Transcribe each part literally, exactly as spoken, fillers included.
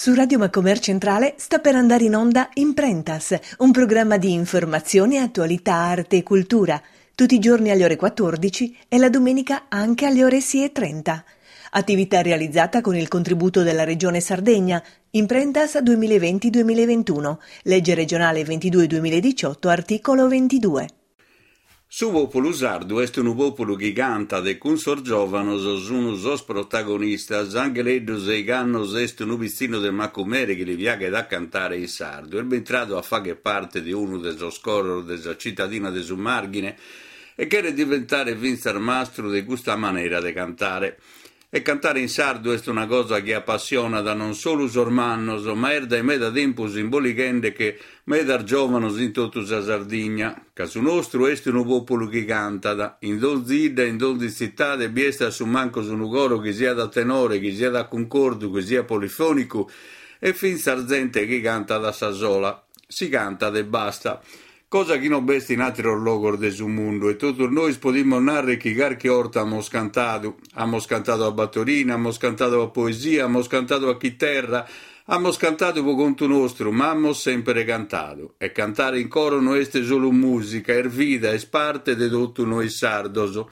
Su Radio Macomer Centrale sta per andare in onda Imprentas, un programma di informazione, attualità, arte e cultura, tutti i giorni alle ore quattordici e la domenica anche alle ore sei e trenta. Attività realizzata con il contributo della Regione Sardegna, Imprentas duemilaventi duemilaventuno, legge regionale ventidue duemiladiciotto, articolo ventidue. Su populu sardu est unu populu chi cantat e cun sos giovanos sun sos protagonistas. Angheleddu seigh'annos est unu pitzinnu de Macumere chi li piaghet a cantare in sardu. Est bintradu a fagher parte de unu de sos coros de sa cittadina de su Marghine e cheret diventare fintzas mastru de custa manera de cantare. E cantare in sardu est una cosa chi appassionat non solu sos mannos, ma est dae meda tempus imbolighendeche medas giovanos in totu sa Sardigna, ca su nostru est unu populu chi cantat. In donzi 'idda e in donzi tzittade bi est a su mancus unu coro chi siat a tenore, chi siat a cuncordu, chi siat polifonicu e fintzas zente chi cantat a sa sola. Si cantat e basta. Cosa chi non b'est in àteros logos de su mundu e totus nois podimus narrer chi carchi 'orta amus cantadu. Amus cantadu a battorina, amus cantadu a poesia, amus cantadu a chiterra, amus cantadu pro contu nostru, ma amus sempre cantadu. E cantare in coro no est solu mùsica, est vida, est parte de totu nois sardos.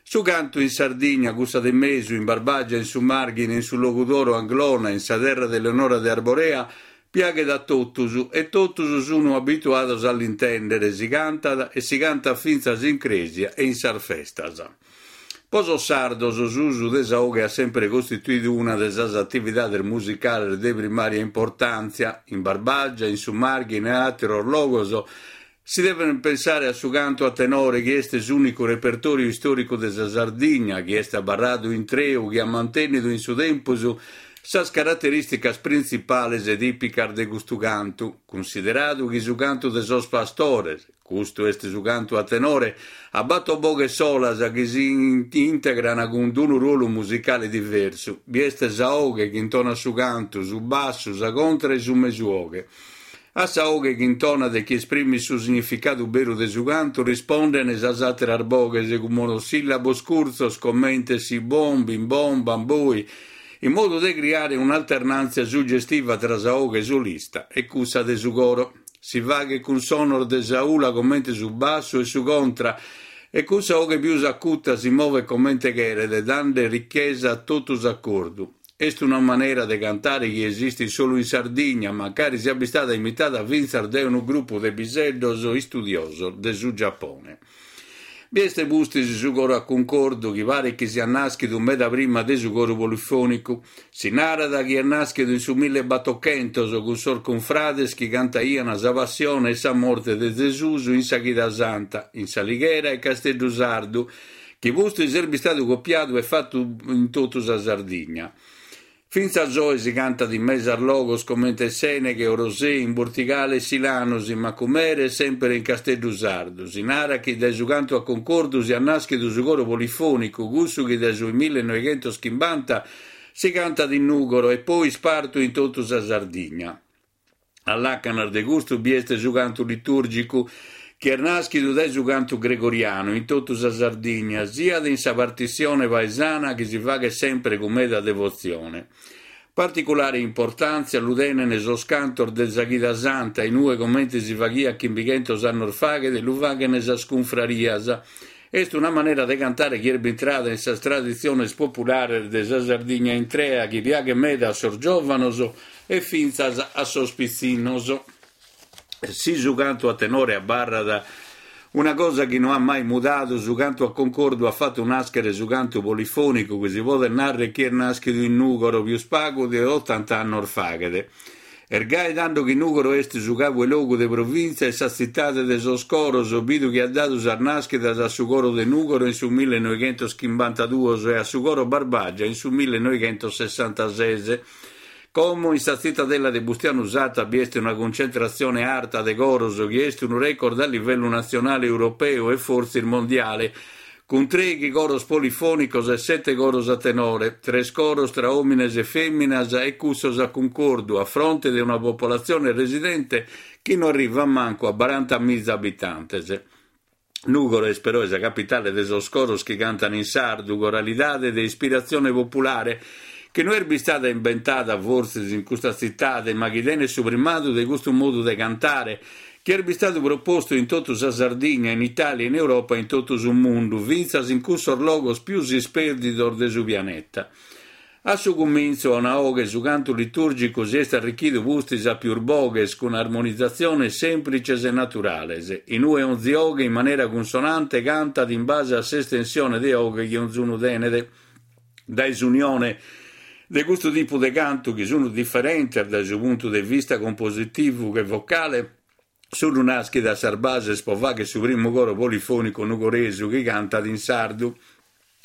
Su cantu in Sardigna, cussa de mesu, in Barbagia, in su Marghine, in su Logudoro, Anglona, in sa terra de Eleonora de Arborea, piaghet a totus e totus sunu abituados a l'intendere, si cantat e si cantat fintzas in crèsia e in sas festas. Po sos sardos s'usu de sa 'oghe at sempre costituidu una de sas atividades musicales de primària importàntzia. In Barbagia, in su Marghine e àteros logos si deven pensare a su cantu a tenore, chi est s'ùnicu repertòriu istòricu de sa Sardigna, chi est abarradu intreu, chi at mantènnidu in su tempus sas caraterìsticas printzipales e tìpicas de custu cantu, cunsideradu chi su cantu de sos pastores, custu est su cantu a tenore, a bator boghes solas chi si integran cun unu ruolu musicale diversu. Bi est sa 'oghe chi intonat su cantu, su bassu, sa contra e su mesu 'oghe. A sa 'oghe chi intonat e chi esprimit su significadu beru de su cantu risponden sas àteras boghes cun monosìllabos curtzos comente si bom, bim bom, bamboi, in modu de criare un'alternàntzia sugestiva tra sa 'oghe solista e cussa de su coro. Si faghet cun sonos de sa 'ula comente su bassu e su contra, e cun sa 'oghe pius acuta si movet comente cheret, dande richesa a totu s'acordu. Est una manera de cantare chi esistit solu in Sardigna, mancari siat bistada imitada fintzas dae unu grupu de piseddos istudiosos de su Giappone. Bi est pustis su coro a cuncordu, chi paret chi siat nàschidu meda prima de su coru polifònicu. Si narat chi est nàschidu in su millebatochentos cun sos cunfrades chi cantaian sa passione e sa morte de Zesus in sa Chida Santa, in S'Alighera e Casteddu Sardu, chi pustis est bistadu copiadu e fatu in totu sa Sardigna. Fintzas oe si cantat in mesas logos comente Sèneghe, Orosei, in Bortigale e Silanus, in Macumere e sempre in Casteddu Sardu. Si narat chi dae su cantu a concordu siat nàschidu su coro polifònicu, cussu chi dae su millenovechentos chimbanta si cantat in Nùgoro e poi ispartu in totu sa Sardigna. A làcanas de custu bi est su cantu litùrgicu, chi est nàschidu dae su cantu gregorianu in totu sa Sardigna, siat in sa partissione paesana chi si faghet sempre cun meda devotzione. Particulare importàntzia lu tenen sos cantos de sa Chida Santa, in ue, comente si faghiat chimbichentos annos faghet, lu faghen sas cunfrarias. Est una manera de cantare chi est bintrada in sas traditziones populares de sa Sardigna intrea, chi piaghet meda a sos giòvanos e fintzas a sos pitzinnos. Si su cantu a tenore abarrat una cosa chi no at mai mudadu, su cantu a concordu at fatu nàschere su cantu polifònicu, chi si podet narrer chi est nàschidu in Nùgoro pius pagu de otanta annos faghet. Est gai tando chi Nùgoro est su cabu 'e logu de provìntzia e sa tzitade de sos coros, bidu chi at dadu sas nàschidas a su coro de Nùgoro in su millenovechentos chimbantaduos e a su coro Barbagia in su millenovechentos sessantases. Como in sa tzitadella de Bustianu Satta bi est una cuncentratzione arta de coros chi est unu record a livellu natzionale, europeu e fortzis mondiale, cun trèighi coros polifònicos e sete coros a tenore, tres coros tra òmines e fèminas e cussos a cuncordu, a fronte de una popolatzione residente chi no arrivat mancu a barantamiza abitantes. Nùgoro est però sa capitale de sos coros chi cantan in sardu, coralidade de ispiratzione populare, chi no est bistada imbentada fortzis in custa tzitade, ma chi tenet su primadu de custu modu de cantare, chi est bistadu propostu in totu sa Sardigna, in Italia, in Europa e in totu su mundu, fintzas in cussos logos pius ispèrdidos de su pianeta. A su cumintzu a una 'oghe su cantu litùrgicu si est arrichidu pustis a pius boghes cun armonizatziones sèmplitzes e naturales, in ue onzi 'oghe in manera cunsonante cantat in base a s'estensione de 'oghe chi onzunu tenet. Dae s'unione de custu tipu de cantu, chi sunt diferentes dae su puntu de vista compositivu che vocale, sunt nàschidas sas bases pro fàghere su primu coro polifònicu nugoresu chi cantat in sardu.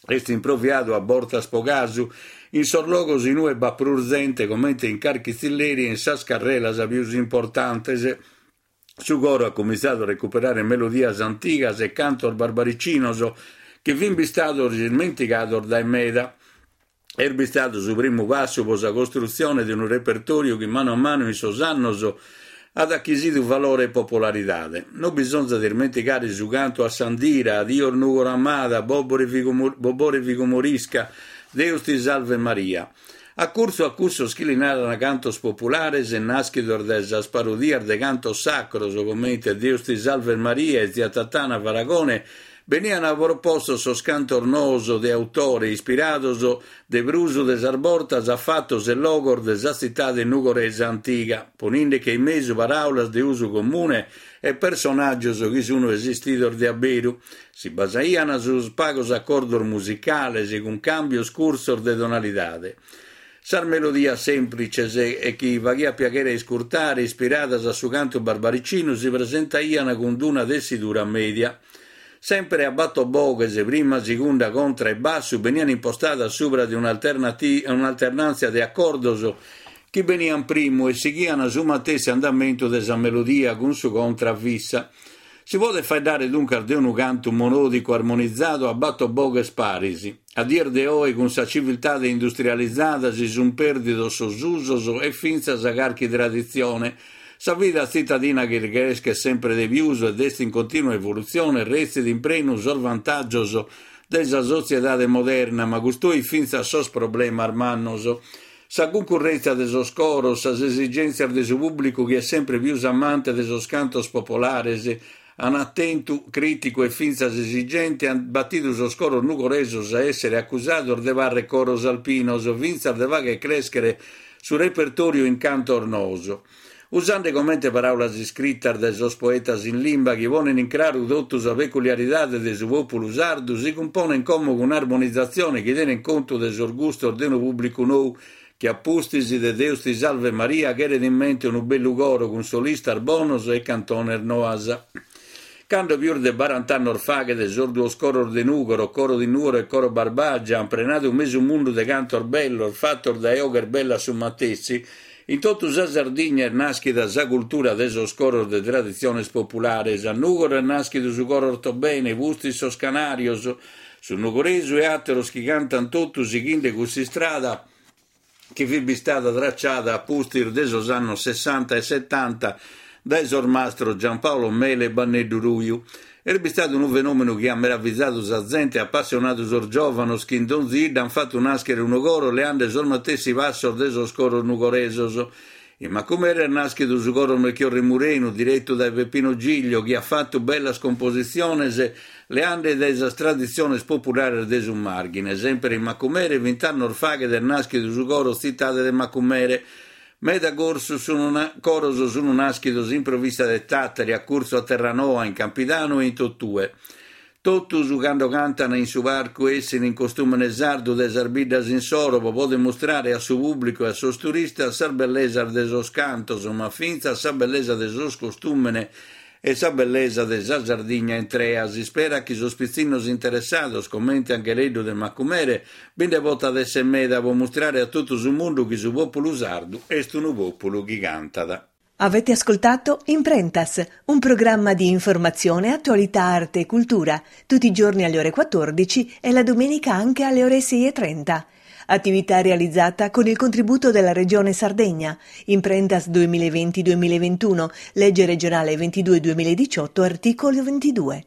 Est improviadu a bortas pro casu in sos logos in ue b'at prus zente, comente in carchi tzilleri e in sas carrelas pius importantes. Su coro at cumintzadu a recuperare melodias antigas e cantos barbaricinos chi fin bistados ismentigados dae meda. Est bistadu su primu passu pro sa costrutzione de unu repertòriu chi manu a manu in sos annos at achisidu valore e popolaridade. Non bisonzat ismentigare su cantu a s'Andira, Adios Nùgoro amada, Bobore Figumorisca, Deus ti salve Maria. A curtzu a cussos chi li naran cantos populares nàschidos dae sas parodias de cantos sacros, comente Deus ti salve Maria e Zia Tatana Faragone, beniant propostos sos cantos noos de autore, ispirados de prus de sas bortas a fatos e logos de sa tzitade nugoresa antiga, poninde-che in mesu paràulas de usu comune e personàgios chi sunt esistidos de a beru. Si basaiant sus pagos acordos musicales cun càmbios curtzos de tonalidade. Sas melodias sèmplitzes e chi faghiat piaghere a iscurtare, ispiradas a su cantu barbaricinu, si presentaiant cun una tessidura mèdia. Sempre a bator boghes, prima, segunda, contra e bassu, beniant impostadas subra de un'alternàntzia de acordos chi beniant primu e sighiant su matessi andamentu de sa melodia cun su contra fissa. Si podet faeddare duncas de unu cantu monòdicu armonizadu a bator boghes paris. A dies de oe, cun sa civiltade industrializada, si sunt pèrdidos sos usos e fintzas carchi traditzione. Sa vida tzitadina chi creschet sempre de pius ed est in continua evolutzione retzit in prenu sos vantàgios de sa sotziedade moderna, ma custoit fintzas sos problemas mannos. Sa cuncurrèntzia de sos coros, sas esigèntzias de su pùblicu chi est sempre pius amante de sos cantos popolares, an atentu crìticu e fintzas esigente, ant batidu sos coros nugoresos a èssere acusados de parrer coros alpinos, fintzas de fàghere crèschere su repertòriu in cantos noos. Usende comente paràulas iscritas dae sos poetas in limba chi ponen in craru totu sa peculiaridade de su pòpulu sardu, si cumponen como cun armonizatzione chi tenen contu de sos gustos de unu pùblicu nou chi a pustis de Deus ti salve Maria cheret in mente unu bellu coro cun solistas bonos e cantones noas. Cando pius de barant'annos faghet sos duos coros de Nùgoro, Coro di Nuoro e Coro Barbagia, an prenadu mesu mundu de cantos bellos fatos dae 'oghes bellas su matessi, in totu sa Sardigna est nàschida sa cultura de sos coros de traditziones populares. A Nùgoro est nàschidu su coro Ortobene, pustis sos Canàrios, su Nugoresu e àteros chi cantant totu sighende cuss'istrada chi fit bistada tracciada a pustis de sos annos sessanta e setanta dae sos mastros Giampaolo Mele e Banneddu Ruiu. Est bistadu unu fenòmenu chi at meravizadu sa zente e apassionadu sos giòvanos chi in donzi 'idda an fatu nàschere unu coro leande sos matessi passos de sos coros nugoresos. In Macumere est nàschidu su coro Melchiorre Murenu, diretu dae Peppino Giglio, chi at fatu bellas compositziones leande dae sas traditziones populares de su Màrghine. Sempre in Macumere, vint'annos faghet est nàschidu su coro Tzitade de Macumere. Meda corsos sun coros sunt nàschidos in provìntzia de Tàtari, a curtzu a Terranoa, in Campidanu e in totue. Totus, cando cantan in su parcu, essin in costùmene sardu de sas biddas insoro pro poder mustrare a su pùblicu e a sos turistas sas bellesas de sos cantos, ma fintzas sa bellesa de sos costùmene e sa bellesa de sa Sardigna intrea. Si isperat chi sos pitzinnos interessados, comente Angheleddu de Macumere, bi nde potat èssere meda pro mustrare a totu su mundu chi su pòpulu sardu est unu pòpulu chi cantat. Avete ascoltato Imprentas, un programma di informazione, attualità, arte e cultura, tutti i giorni alle ore quattordici e la domenica anche alle ore sei e trenta. Attività realizzata con il contributo della Regione Sardegna. Imprentas duemilaventi duemilaventuno, legge regionale ventidue duemiladiciotto, articolo ventidue.